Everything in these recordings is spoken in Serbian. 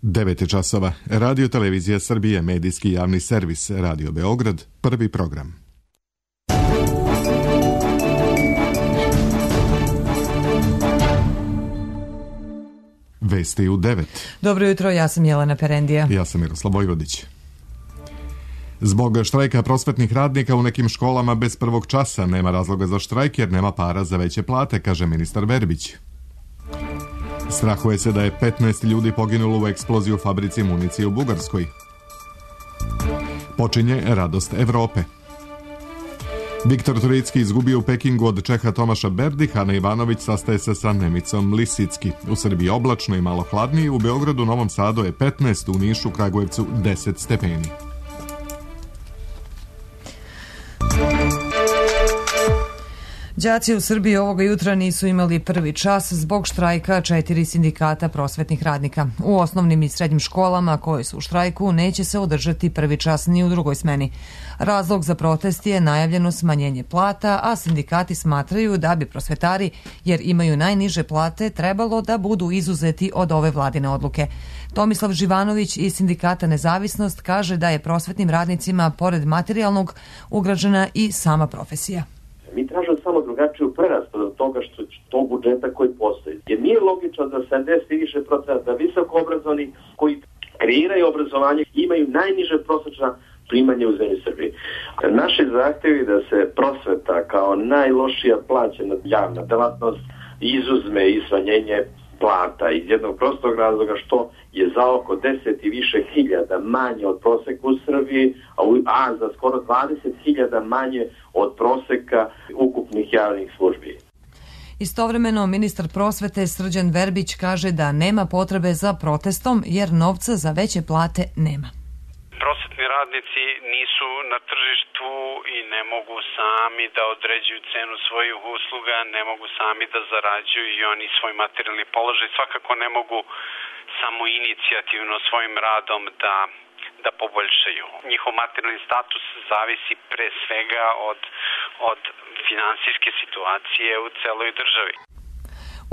9 časova. Radio Televizija Srbije, medijski javni servis, Radio Beograd, prvi program. Vesti u 9. Dobro jutro, ja sam Jelena Perendija. Ja sam Miroslav Vojvodić. Zbog štrajka prosvetnih radnika u nekim školama bez prvog časa nema razloga za štrajk jer nema para za veće plate, kaže ministar Verbić. Strahuje se da je 15 ljudi poginulo u eksploziji u fabrici municije u Bugarskoj. Počinje radost Evrope. Viktor Turicki izgubio u Pekingu od Čeha Tomaša Berdiha, Ana Ivanović sastaje se sa Nemicom Lisicki. U Srbiji oblačno i malo hladnije, u Beogradu, Novom Sadu je 15, u Nišu, Kragujevcu 10 stepeni. Đaci u Srbiji ovoga jutra nisu imali prvi čas zbog štrajka 4 sindikata prosvetnih radnika. U osnovnim i srednjim školama koje su u štrajku neće se održati prvi čas ni u drugoj smeni. Razlog za protest je najavljeno smanjenje plata, a sindikati smatraju da bi prosvetari, jer imaju najniže plate, trebalo da budu izuzeti od ove vladine odluke. Tomislav Živanović iz sindikata Nezavisnost kaže da je prosvetnim radnicima, pored materijalnog, ugrađena i sama profesija. Mi tražimo samo drugačiju preraspodelu toga što tog budžeta koji postoji. Jer nije logično da 70 i više procenta visoko obrazovani koji kreiraju obrazovanje imaju najniže prosječna primanja u zemlji Srbiji. Naši zahtjevi da se prosveta kao najlošija plaćena javna delatnost izuzme i smanjenje plata iz jednog prostog razloga što je za oko 10 i više hiljada manje od proseka u Srbiji, a za skoro 20.000 manje od proseka ukupnih javnih službi. Istovremeno, ministar prosvete Srđan Verbić kaže da nema potrebe za protestom jer novca za veće plate nema. Prosvetni radnici nisu na tržištu i ne mogu sami da određuju cenu svojih usluga, ne mogu sami da zarađuju i oni svoj materijalni položaj svakako ne mogu samo inicijativno svojim radom da poboljšaju. Njihov materijalni status zavisi pre svega od finansijske situacije u celoj državi.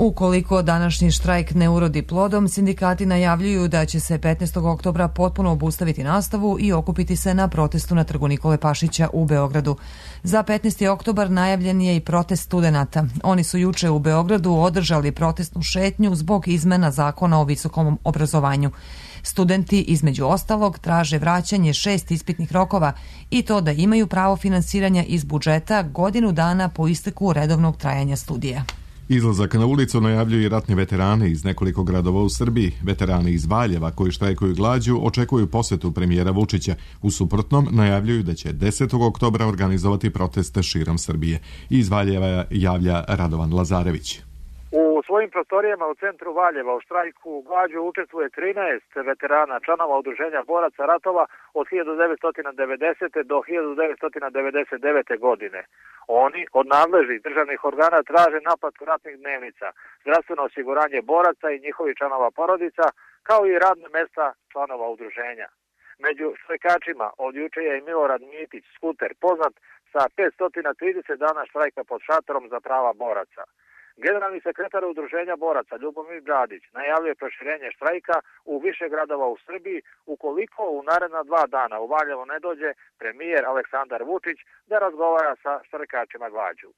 Ukoliko današnji štrajk ne urodi plodom, sindikati najavljuju da će se 15. oktobra potpuno obustaviti nastavu i okupiti se na protestu na trgu Nikole Pašića u Beogradu. Za 15. oktobar najavljen je i protest studenata. Oni su juče u Beogradu održali protestnu šetnju zbog izmena zakona o visokom obrazovanju. Studenti, između ostalog, traže vraćanje 6 ispitnih rokova i to da imaju pravo finansiranja iz budžeta godinu dana po isteku redovnog trajanja studija. Izlazak na ulicu najavljuju i ratni veterani iz nekoliko gradova u Srbiji. Veterani iz Valjeva koji štrajkuju glađu očekuju posetu premijera Vučića. U suprotnom najavljuju da će 10. oktobra organizovati proteste širom Srbije. Iz Valjeva javlja Radovan Lazarević. U svojim prostorijama u centru Valjeva u štrajku glađu učestvuje 13 veterana, članova udruženja boraca ratova od 1990. do 1999. godine. Oni od nadležnih državnih organa traže naplatu ratnih dnevnica, zdravstveno osiguranje boraca i njihovih članova porodica, kao i radne mesta članova udruženja. Među štrajkačima od juče je i Milorad Mitić, skuter, poznat sa 530 dana štrajka pod šatorom za prava boraca. Generalni sekretar udruženja boraca Ljubomir Bradić najavljuje proširenje štrajka u više gradova u Srbiji ukoliko u naredna 2 dana u Valjevo ne dođe premijer Aleksandar Vučić da razgovara sa štrajkačima glađu.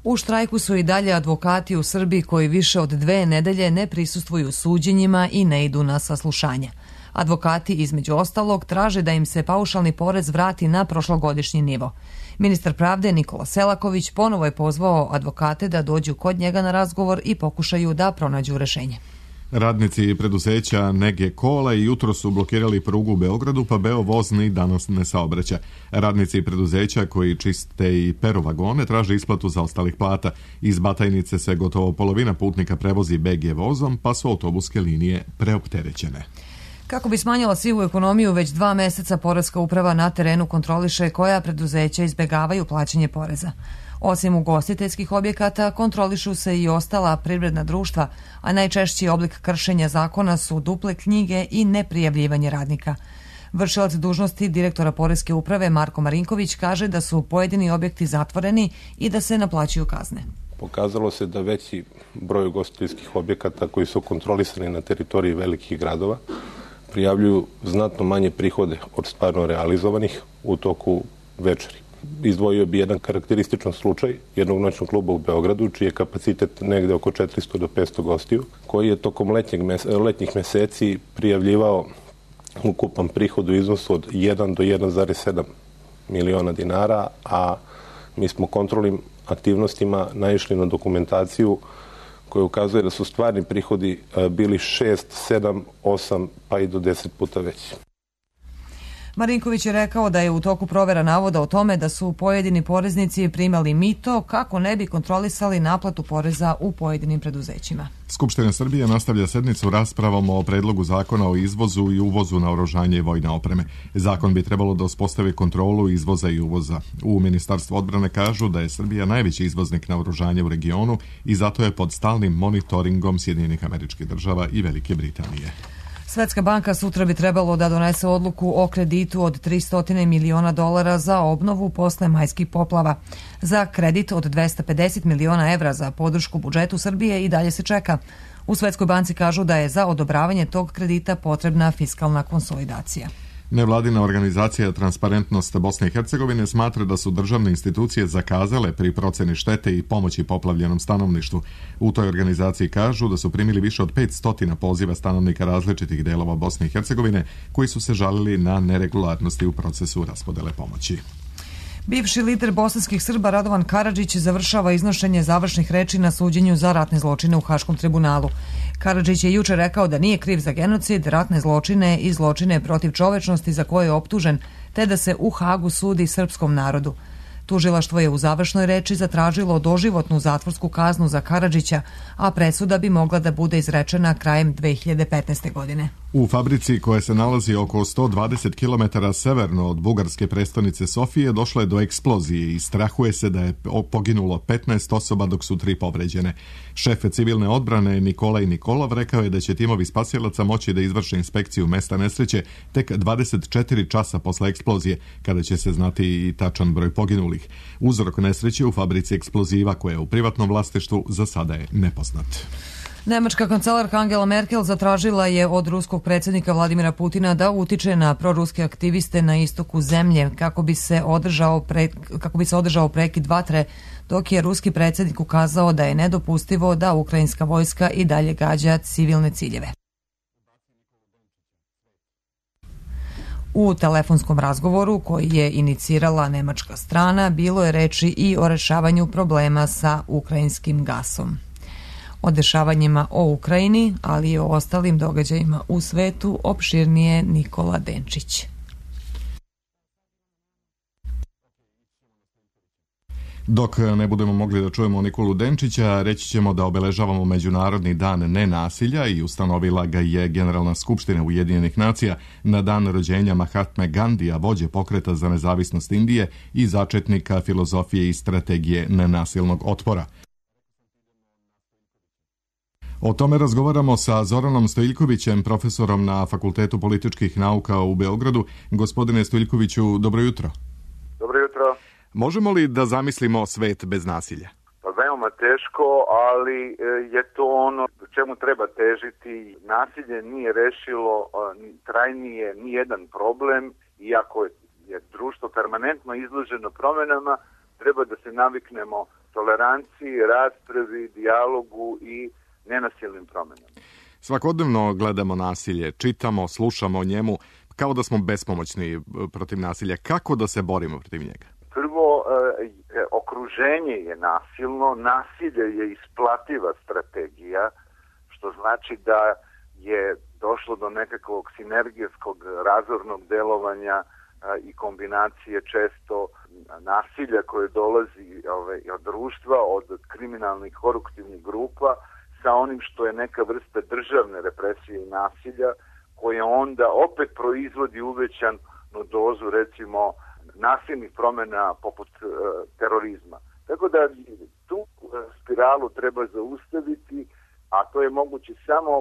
U štrajku su i dalje advokati u Srbiji koji više od 2 nedelje ne prisustvuju suđenjima i ne idu na saslušanja. Advokati, između ostalog, traže da im se paušalni porez vrati na prošlogodišnji nivo. Ministar pravde Nikola Selaković ponovo je pozvao advokate da dođu kod njega na razgovor i pokušaju da pronađu rešenje. Radnici preduzeća Nege Kola i jutro su blokirali prugu u Beogradu, pa Beovoz ni danas ne saobraća. Radnici preduzeća koji čiste i peru vagone traže isplatu za ostalih plata. Iz Batajnice se gotovo polovina putnika prevozi BG vozom, pa su autobuske linije preopterećene. Kako bi smanjila sivu ekonomiju, već 2 meseca Poreska uprava na terenu kontroliše koja preduzeća izbegavaju plaćanje poreza. Osim ugostiteljskih objekata, kontrolišu se i ostala privredna društva, a najčešći oblik kršenja zakona su duple knjige i neprijavljivanje radnika. Vršilac dužnosti direktora Poreske uprave Marko Marinković kaže da su pojedini objekti zatvoreni i da se naplaćuju kazne. Pokazalo se da veći broj ugostiteljskih objekata koji su kontrolisani na teritoriji velikih gradova prijavljuju znatno manje prihode od stvarno realizovanih u toku večeri. Izdvojio bi jedan karakterističan slučaj jednog noćnog kluba u Beogradu, čiji je kapacitet negde oko 400 do 500 gostiju, koji je tokom letnjih meseci prijavljivao ukupan prihod u iznosu od 1 do 1,7 miliona dinara, a mi smo kontrolnim aktivnostima naišli na dokumentaciju koja ukazuje da su stvarni prihodi bili 6, 7, 8 pa i do 10 puta veći. Marinković je rekao da je u toku provera navoda o tome da su pojedini poreznici primali mito kako ne bi kontrolisali naplatu poreza u pojedinim preduzećima. Skupština Srbije nastavlja sednicu raspravom o predlogu zakona o izvozu i uvozu naoružanja i vojne opreme. Zakon bi trebalo da uspostavi kontrolu izvoza i uvoza. U Ministarstvu odbrane kažu da je Srbija najveći izvoznik naoružanja u regionu i zato je pod stalnim monitoringom Sjedinjenih Američkih Država i Velike Britanije. Svetska banka sutra bi trebalo da donese odluku o kreditu od $300 miliona za obnovu posle majskih poplava. Za kredit od 250 miliona evra za podršku budžetu Srbije i dalje se čeka. U Svetskoj banci kažu da je za odobravanje tog kredita potrebna fiskalna konsolidacija. Nevladina organizacija Transparentnost Bosne i Hercegovine smatra da su državne institucije zakazale pri proceni štete i pomoći poplavljenom stanovništvu. U toj organizaciji kažu da su primili više od 500 poziva stanovnika različitih delova Bosne i Hercegovine koji su se žalili na neregularnosti u procesu raspodele pomoći. Bivši lider bosanskih Srba Radovan Karadžić završava iznošenje završnih reči na suđenju za ratne zločine u Haškom tribunalu. Karadžić je juče rekao da nije kriv za genocid, ratne zločine i zločine protiv čovečnosti za koje je optužen, te da se u Hagu sudi srpskom narodu. Tužilaštvo je u završnoj reči zatražilo doživotnu zatvorsku kaznu za Karadžića, a presuda bi mogla da bude izrečena krajem 2015. godine. U fabrici koja se nalazi oko 120 km severno od bugarske prestonice Sofije došlo je do eksplozije i strahuje se da je poginulo 15 osoba dok su 3 povređene. Šef civilne odbrane Nikolaj Nikolov rekao je da će timovi spasilaca moći da izvrše inspekciju mesta nesreće tek 24 časa posle eksplozije, kada će se znati i tačan broj poginulih. Uzrok nesreće u fabrici eksploziva koja je u privatnom vlasništvu za sada je nepoznat. Nemačka kancelarka Angela Merkel zatražila je od ruskog predsjednika Vladimira Putina da utiče na proruske aktiviste na istoku zemlje kako bi se održao prekid vatre, dok je ruski predsjednik ukazao da je nedopustivo da ukrajinska vojska i dalje gađa civilne ciljeve. U telefonskom razgovoru koji je inicirala nemačka strana bilo je reči i o rešavanju problema sa ukrajinskim gasom. O dešavanjima o Ukrajini, ali i o ostalim događajima u svetu opširnije Nikola Denčić. Dok ne budemo mogli da čujemo Nikolu Denčića, reći ćemo da obeležavamo Međunarodni dan nenasilja i ustanovila ga je Generalna skupština Ujedinjenih nacija na dan rođenja Mahatme Gandija, vođe pokreta za nezavisnost Indije i začetnika filozofije i strategije nenasilnog otpora. O tome razgovaramo sa Zoranom Stojiljkovićem, profesorom na Fakultetu političkih nauka u Beogradu. Gospodine Stojiljkoviću, dobro jutro. Dobro jutro. Možemo li da zamislimo svet bez nasilja? Pa veoma teško, ali je to ono čemu treba težiti. Nasilje nije rešilo trajnije ni jedan problem, iako je društvo permanentno izloženo promenama, treba da se naviknemo toleranciji, raspravi, dijalogu i nenasilnim promenama. Svakodnevno gledamo nasilje, čitamo, slušamo o njemu, kao da smo bespomoćni protiv nasilja. Kako da se borimo protiv njega? Prvo, okruženje je nasilno, nasilje je isplativa strategija, što znači da je došlo do nekakvog sinergijskog razornog delovanja i kombinacije često nasilja koje dolazi od društva, od kriminalnih koruptivnih grupa, sa onim što je neka vrsta državne represije i nasilja, koje onda opet proizvodi uvećanu dozu, recimo, nasilnih promjena poput terorizma. Tako da tu spiralu treba zaustaviti, a to je moguće samo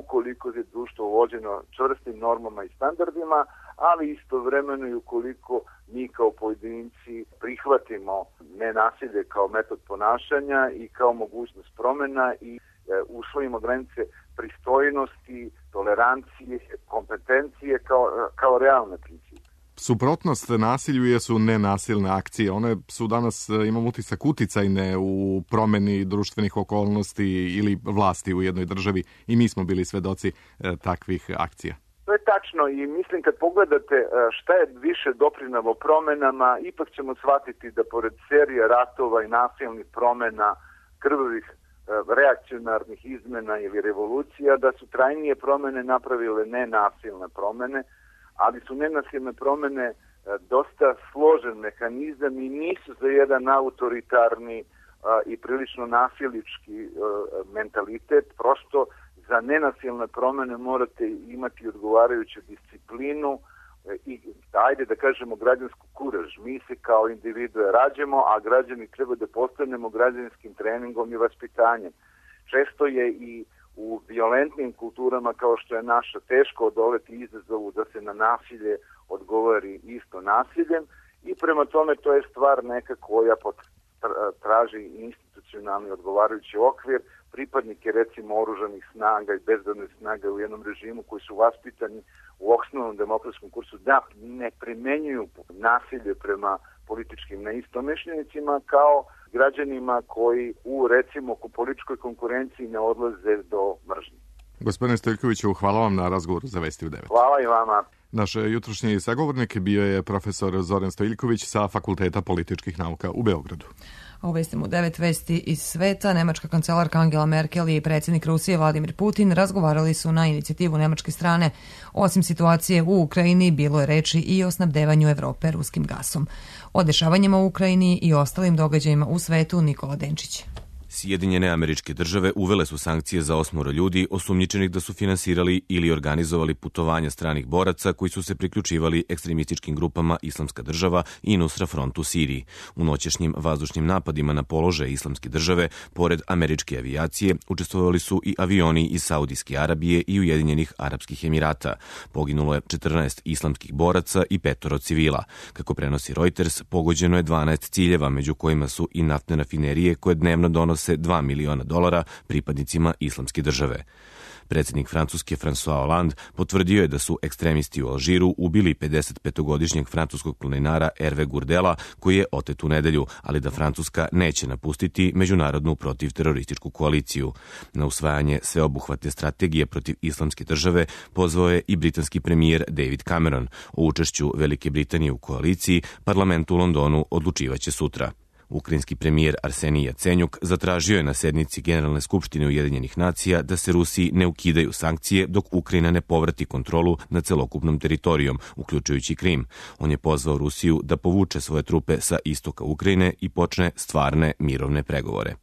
ukoliko je društvo vođeno čvrstim normama i standardima, ali istovremeno i ukoliko mi kao pojedinci prihvatimo nenasilje kao metod ponašanja i kao mogućnost promjena i usvojimo granice pristojnosti, tolerancije, kompetencije kao realne principe. Suprotnost nasilju jesu nenasilne akcije. One su danas, imam utisak, uticajne u promjeni društvenih okolnosti ili vlasti u jednoj državi i mi smo bili svedoci takvih akcija. To je tačno i mislim kad pogledate šta je više doprinalo promjenama, ipak ćemo shvatiti da pored serije ratova i nasilnih promjena, krvavih reakcionarnih izmena ili revolucija, da su trajnije promjene napravile nenasilne promjene, ali su nenasilne promjene dosta složen mehanizam i nisu za jedan autoritarni i prilično nasilnički mentalitet. Prosto za nenasilne promjene morate imati odgovarajuću disciplinu i, ajde da kažemo, građansku kuraž. Mi se kao individue rađemo, a građani treba da postanemo građanskim treningom i vaspitanjem. Često je i u violentnim kulturama kao što je naša teško odoleti izazovu da se na nasilje odgovori isto nasiljem i prema tome to je stvar neka koja traži institucionalni odgovarajući okvir. Pripadnike recimo oružanih snaga i bezbednih snaga u jednom režimu koji su vaspitani u osnovnom demokratskom kursu da ne primenjuju nasilje prema političkim neistomišljenicima kao građanima koji u recimo političkoj konkurenciji ne odlaze do mržnje. Gospodine Stojiljkoviću, hvala vam na razgovoru za Vesti u 9. Hvala i vama. Naš jutrošnji sagovornik bio je profesor Zoran Stojiljković sa Fakulteta političkih nauka u Beogradu. A u Vestima u 9 vesti iz sveta, nemačka kancelarka Angela Merkel i predsjednik Rusije Vladimir Putin razgovarali su na inicijativu nemačke strane. Osim situacije u Ukrajini, bilo je reči i o snabdevanju Evrope ruskim gasom. O dešavanjima u Ukrajini i ostalim događajima u svetu Nikola Denčić. Sjedinjene Američke Države uvele su sankcije za 8 ljudi osumnjičenih da su finansirali ili organizovali putovanja stranih boraca koji su se priključivali ekstremističkim grupama Islamska država i Nusra Front u Siriji. U noćešnjim vazdušnim napadima na položaje Islamske države, pored američke avijacije, učestvovali su i avioni iz Saudijske Arabije i Ujedinjenih Arapskih Emirata. Poginulo je 14 islamskih boraca i 5 civila. Kako prenosi Reuters, pogođeno je 12 ciljeva, među kojima su i naftne rafinerije koje dnevno donose $2 miliona pripadnicima Islamske države. Predsjednik Francuske François Hollande potvrdio je da su ekstremisti u Alžiru ubili 55-godišnjeg francuskog planinara Hervé Gourdela, koji je otet u nedelju, ali da Francuska neće napustiti međunarodnu protivterorističku koaliciju. Na usvajanje sveobuhvatne strategije protiv Islamske države pozvao je i britanski premijer David Cameron. O učešću Velike Britanije u koaliciji parlament u Londonu odlučivaće sutra. Ukrajinski premijer Arsenij Jacenjuk zatražio je na sednici Generalne skupštine Ujedinjenih nacija da se Rusiji ne ukidaju sankcije dok Ukrajina ne povrati kontrolu nad celokupnom teritorijom, uključujući Krim. On je pozvao Rusiju da povuče svoje trupe sa istoka Ukrajine i počne stvarne mirovne pregovore.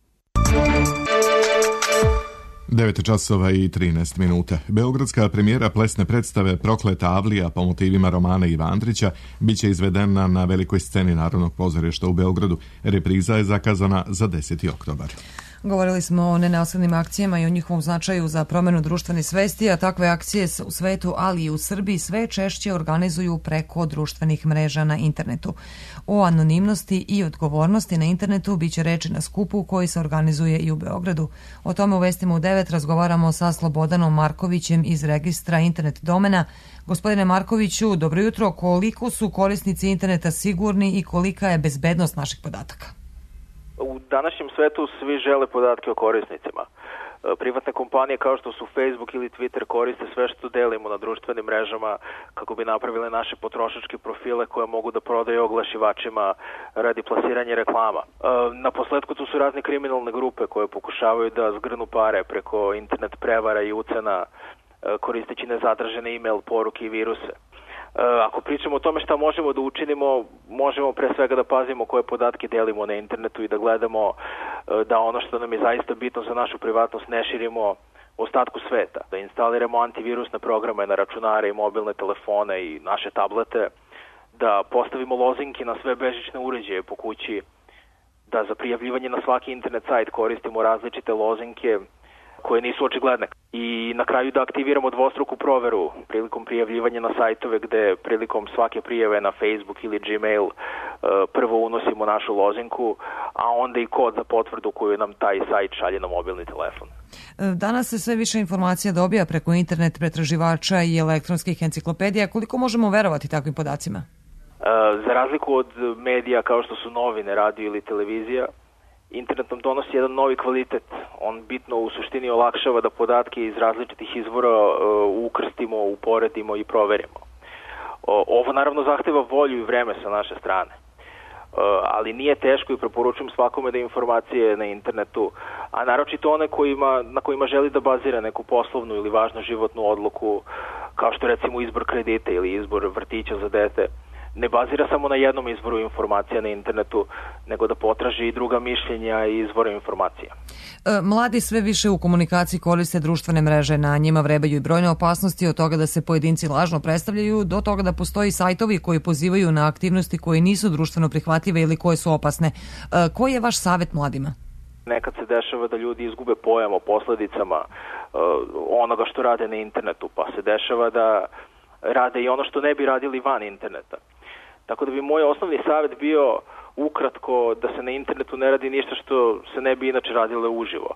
9:13. Beogradska premijera plesne predstave Prokleta Avlija po motivima romana Iva Andrića biće izvedena na velikoj sceni Narodnog pozorišta u Beogradu. Repriza je zakazana za 10. oktobar. Govorili smo o nenasilnim akcijama i o njihovom značaju za promjenu društvene svesti, a takve akcije u svetu, ali i u Srbiji sve češće organizuju preko društvenih mreža na internetu. O anonimnosti i odgovornosti na internetu biće reči na skupu koji se organizuje i u Beogradu. O tome u Vestima u 9 razgovaramo sa Slobodanom Markovićem iz registra internet domena. Gospodine Markoviću, dobro jutro. Koliko su korisnici interneta sigurni i kolika je bezbednost naših podataka? U današnjem svetu svi žele podatke o korisnicima. Privatne kompanije kao što su Facebook ili Twitter koriste sve što delimo na društvenim mrežama kako bi napravile naše potrošačke profile koje mogu da prodaju oglašivačima radi plasiranja reklama. Na posledku tu su razne kriminalne grupe koje pokušavaju da zgrnu pare preko internet prevara i ucena koristeći nezatražene e-mail poruke i viruse. Ako pričamo o tome šta možemo da učinimo, možemo pre svega da pazimo koje podatke delimo na internetu i da gledamo da ono što nam je zaista bitno za našu privatnost ne širimo ostatku sveta. Da instaliramo antivirusne programe na računare i mobilne telefone i naše tablete, da postavimo lozinke na sve bežične uređaje po kući, da za prijavljivanje na svaki internet sajt koristimo različite lozinke, koje nisu očigledne. I na kraju da aktiviramo dvostruku proveru prilikom prijavljivanja na sajtove gde prilikom svake prijave na Facebook ili Gmail prvo unosimo našu lozinku, a onda i kod za potvrdu koju nam taj sajt šalje na mobilni telefon. Danas se sve više informacija dobija preko internet pretraživača i elektronskih enciklopedija. Koliko možemo verovati takvim podacima? Za razliku od medija kao što su novine, radio ili televizija, internet nam donosi jedan novi kvalitet. On bitno u suštini olakšava da podatke iz različitih izvora ukrstimo, uporedimo i proverimo. Ovo naravno zahteva volju i vreme sa naše strane. Ali nije teško i preporučujem svakome da informacije na internetu, a naročito one na kojima želi da bazira neku poslovnu ili važnu životnu odluku, kao što recimo izbor kredita ili izbor vrtića za dete, ne bazira samo na jednom izvoru informacija na internetu, nego da potraži i druga mišljenja i izvore informacija. Mladi sve više u komunikaciji koriste društvene mreže, na njima vrebaju i brojne opasnosti, od toga da se pojedinci lažno predstavljaju do toga da postoji sajtovi koji pozivaju na aktivnosti koje nisu društveno prihvatljive ili koje su opasne. Koji je vaš savjet mladima? Nekad se dešava da ljudi izgube pojam o posledicama onoga što rade na internetu, pa se dešava da rade i ono što ne bi radili van interneta. Tako da bi moj osnovni savjet bio ukratko da se na internetu ne radi ništa što se ne bi inače radilo uživo.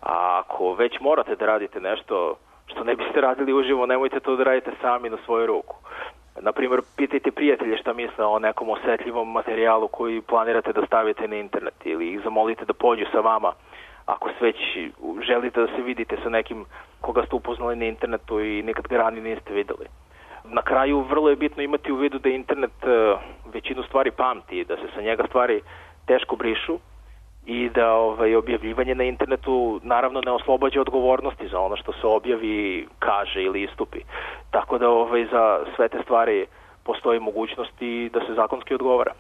A ako već morate da radite nešto što ne biste radili uživo, nemojte to da radite sami na svoju ruku. Naprimjer, pitajte prijatelje šta misle o nekom osetljivom materijalu koji planirate da stavite na internet ili ih zamolite da pođu sa vama ako već želite da se vidite sa nekim koga ste upoznali na internetu i nikad ga ranije niste videli. Na kraju vrlo je bitno imati u vidu da internet većinu stvari pamti i da se sa njega stvari teško brišu i da objavljivanje na internetu naravno ne oslobađa odgovornosti za ono što se objavi, kaže ili istupi. Tako da za sve te stvari postoji mogućnost i da se zakonski odgovara.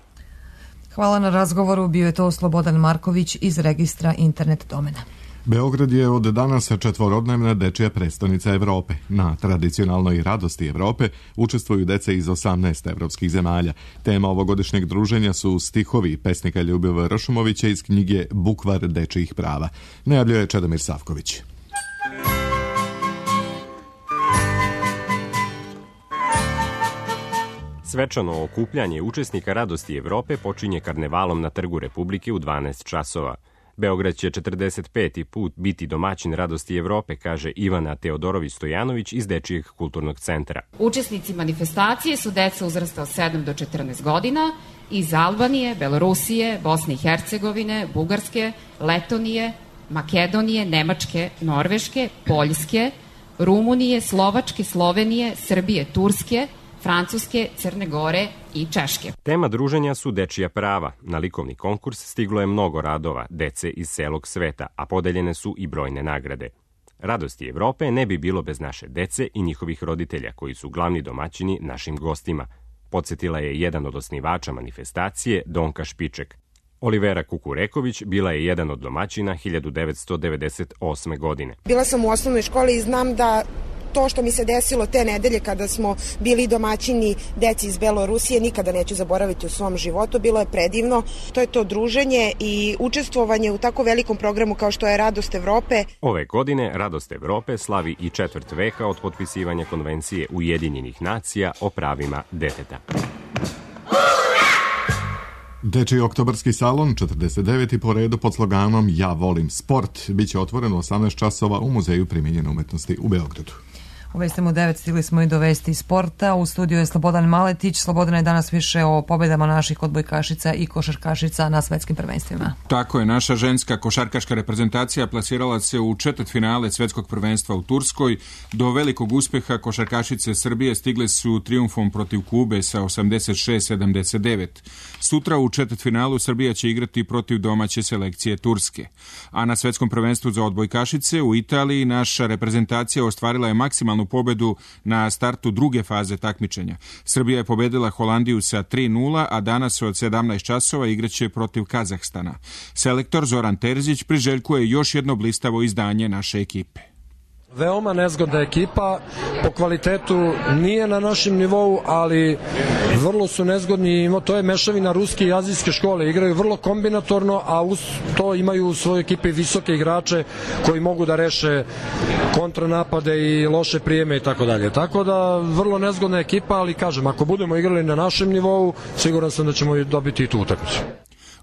Hvala na razgovoru, bio je to Slobodan Marković iz registra internet domena. Beograd je od danas četvorodnevna dečija prestonica Evrope. Na tradicionalnoj radosti Evrope učestvuju deca iz 18 evropskih zemalja. Tema ovogodišnjeg druženja su stihovi pesnika Ljubivoja Ršumovića iz knjige Bukvar dečijih prava. Najavljuje Čedomir Savković. Svečano okupljanje učesnika radosti Evrope počinje karnevalom na Trgu Republike u 12 časova. Beograd će 45. put biti domaćin radosti Evrope, kaže Ivana Teodorović-Stojanović iz Dečijeg kulturnog centra. Učesnici manifestacije su deca uzrasta od 7 do 14 godina iz Albanije, Belorusije, Bosne i Hercegovine, Bugarske, Letonije, Makedonije, Nemačke, Norveške, Poljske, Rumunije, Slovačke, Slovenije, Srbije, Turske, Francuske, Crne Gore i Češke. Tema druženja su dečija prava. Na likovni konkurs stiglo je mnogo radova dece iz celog sveta, a podeljene su i brojne nagrade. Radosti Evrope ne bi bilo bez naše dece i njihovih roditelja, koji su glavni domaćini našim gostima. Podsjetila je jedan od osnivača manifestacije, Donka Špiček. Olivera Kukureković bila je jedan od domaćina 1998. godine. Bila sam u osnovnoj školi i znam da to što mi se desilo te nedelje kada smo bili domaćini deci iz Belorusije nikada neću zaboraviti u svom životu. Bilo je predivno. To je to druženje i učestvovanje u tako velikom programu kao što je Radost Evrope. Ove godine Radost Evrope slavi i 4 veka od potpisivanja Konvencije Ujedinjenih nacija o pravima deteta. Dečiji oktobarski salon, 49. po redu pod sloganom Ja volim sport, biće otvoren u 18 časova u Muzeju primijenjene umetnosti u Beogradu. U Vestima u 9 stigli smo i do vesti sporta. U studiju je Slobodan Maletić. Slobodan je danas više o pobedama naših odbojkašica i košarkašica na svetskim prvenstvima. Tako je, naša ženska košarkaška reprezentacija plasirala se u četvrtfinale svetskog prvenstva u Turskoj. Do velikog uspeha košarkašice Srbije stigle su trijumfom protiv Kube sa 86-79. Sutra u četvrtfinalu Srbija će igrati protiv domaće selekcije Turske. A na svetskom prvenstvu za odbojkašice u Italiji naša reprezentacija ostvarila je maksimalnu pobedu na startu druge faze takmičenja. Srbija je pobedila Holandiju sa 3-0, a danas od 17 časova igraće protiv Kazahstana. Selektor Zoran Terzić priželjkuje još jedno blistavo izdanje naše ekipe. Veoma nezgodna ekipa, po kvalitetu nije na našem nivou, ali vrlo su nezgodni, to je mešavina ruske i azijske škole, igraju vrlo kombinatorno, a uz to imaju u svojoj ekipi visoke igrače koji mogu da reše kontranapade i loše prijeme i tako dalje. Tako da vrlo nezgodna ekipa, ali kažem, ako budemo igrali na našem nivou, siguran sam da ćemo dobiti i tu utakmicu.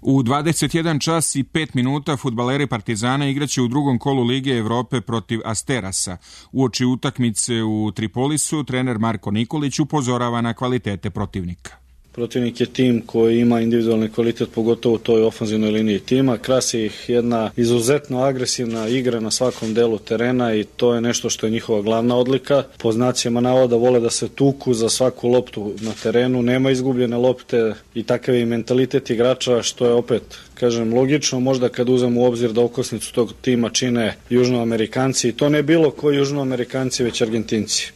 U 21 čas i 5 minuta fudbaleri Partizana igraće u drugom kolu Lige Evrope protiv Asterasa. Uoči utakmice u Tripolisu trener Marko Nikolić upozorava na kvalitete protivnika. Protivnik je tim koji ima individualni kvalitet, pogotovo u toj ofanzivnoj liniji tima. Krasi ih jedna izuzetno agresivna igra na svakom delu terena i to je nešto što je njihova glavna odlika. Po znacima navoda vole da se tuku za svaku loptu na terenu, nema izgubljene lopte i takav je mentalitet igrača, što je opet, kažem, logično, možda kad uzem u obzir da okosnicu tog tima čine Južnoamerikanci, i to ne bilo koji Južnoamerikanci, već Argentinci.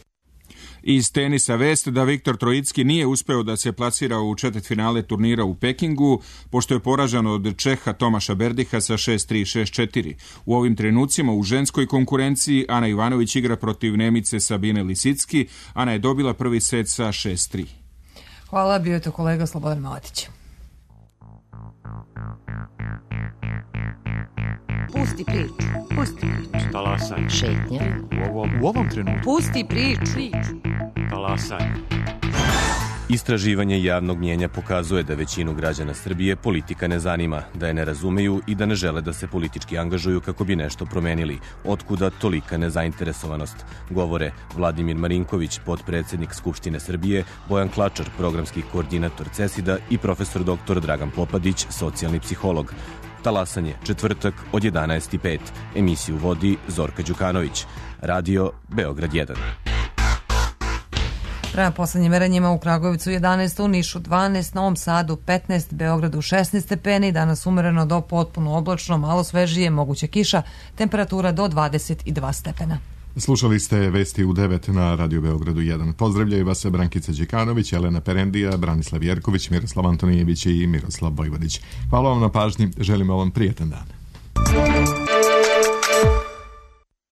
Iz tenisa vest da Viktor Trojicki nije uspeo da se plasira u četvrtfinale turnira u Pekingu, pošto je poražen od Čeha Tomaša Berdiha sa 6-3 i 6-4. U ovim trenucima u ženskoj konkurenciji Ana Ivanović igra protiv Nemice Sabine Lisicki. Ana je dobila prvi set sa 6-3. Hvala, bio je to kolega Slobodan Maletić. Pusti priču. Pusti priču. Talasaj. Šetnja. U ovom trenutku. Pusti priču. Talasaj. Istraživanje javnog mnjenja pokazuje da većinu građana Srbije politika ne zanima, da je ne razumeju i da ne žele da se politički angažuju kako bi nešto promenili. Otkuda tolika nezainteresovanost? Govore Vladimir Marinković, potpredsednik Skupštine Srbije, Bojan Klačar, programski koordinator CESID-a i profesor dr. Dragan Popadić, socijalni psiholog. Talasanje, četvrtak od 11:05. Emisiju vodi Zorka Đukanović. Radio Beograd 1. Prema poslednjim merenjima u Kragujevcu 11, u Nišu 12, Novom Sadu 15, Beogradu 16 stepeni, danas umereno do potpuno oblačno, malo svežije, moguće kiša, temperatura do 22 stepena. Slušali ste vesti u 9 na Radio Beogradu 1. Pozdravljaju vas Brankica Đikanović, Elena Perendija, Branislav Jerković, Miroslav Antonijević i Miroslav Vojvodić. Hvala vam na pažnji, želimo vam prijetan dan.